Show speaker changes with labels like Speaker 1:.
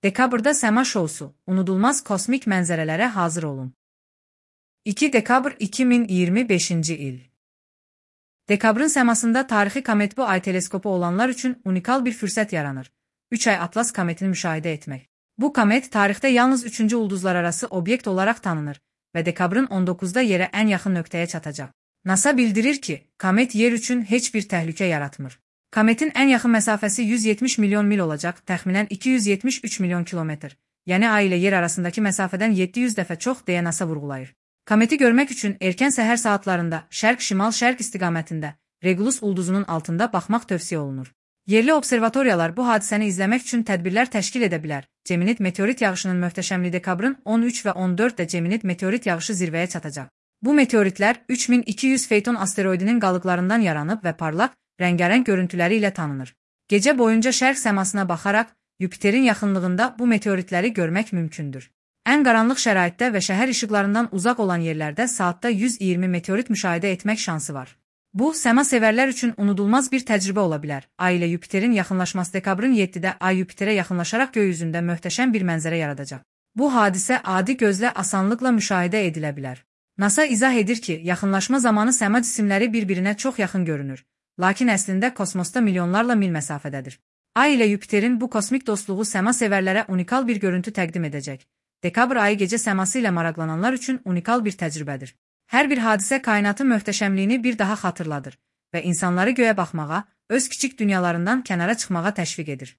Speaker 1: Dekabrda səma şousu, unudulmaz kosmik mənzərələrə hazır olun. 2 dekabr 2025-ci il. Dekabrın səmasında tarixi komet bu ay teleskopu olanlar üçün unikal bir fürsət yaranır. 3 ay Atlas kometini müşahidə etmək. Bu komet tarixdə yalnız 3-cü ulduzlararası obyekt olaraq tanınır və dekabrın 19-da yerə ən yaxın nöqtəyə çatacaq. NASA bildirir ki, komet yer üçün heç bir təhlükə yaratmır. Kometin ən yaxın məsafəsi 170 milyon mil olacaq, təxminən 273 milyon kilometr. Yəni ay ilə yer arasındakı məsafədən 700 dəfə çox deyə NASA vurğulayır. Kometi görmək üçün erkən səhər saatlarında şərq-şimal-şərq istiqamətində Regulus ulduzunun altında baxmaq tövsiyə olunur. Yerli observatoriyalar bu hadisəni izləmək üçün tədbirlər təşkil edə bilər. Geminid meteorit yağışının möhtəşəmliyi dekabrın 13 və 14-də Geminid meteorit yağışı zirvəyə çatacaq. Bu meteoritlər 3200 Feyton asteroidinin qalıqlarından yaranıb və parlaq, rəngarəng görüntüləri ilə tanınır. Gecə boyunca şərq səmasına baxaraq Yupiterin yaxınlığında bu meteoritləri görmək mümkündür. Ən qaranlıq şəraitdə və şəhər işıqlarından uzaq olan yerlərdə saatda 120 meteorit müşahidə etmək şansı var. Bu, səma sevərlər üçün unudulmaz bir təcrübə ola bilər. Ay ilə Yupiterin yaxınlaşması dekabrın 7-də Ay Yupiterə yaxınlaşaraq göy üzündə möhtəşəm bir mənzərə yaradacaq. Bu hadisə adi gözlə asanlıqla müşahidə edilə bilər. NASA izah edir ki, yaxınlaşma zamanı səma cisimləri bir-birinə çox yaxın görünür. Lakin əslində kosmosda milyonlarla mil məsafədədir. Ay ilə Yupiterin bu kosmik dostluğu səma sevərlərə unikal bir görüntü təqdim edəcək. Dekabr ayı gecə səması ilə maraqlananlar üçün unikal bir təcrübədir. Hər bir hadisə kainatın möhtəşəmliyini bir daha xatırladır və insanları göyə baxmağa, öz kiçik dünyalarından kənara çıxmağa təşviq edir.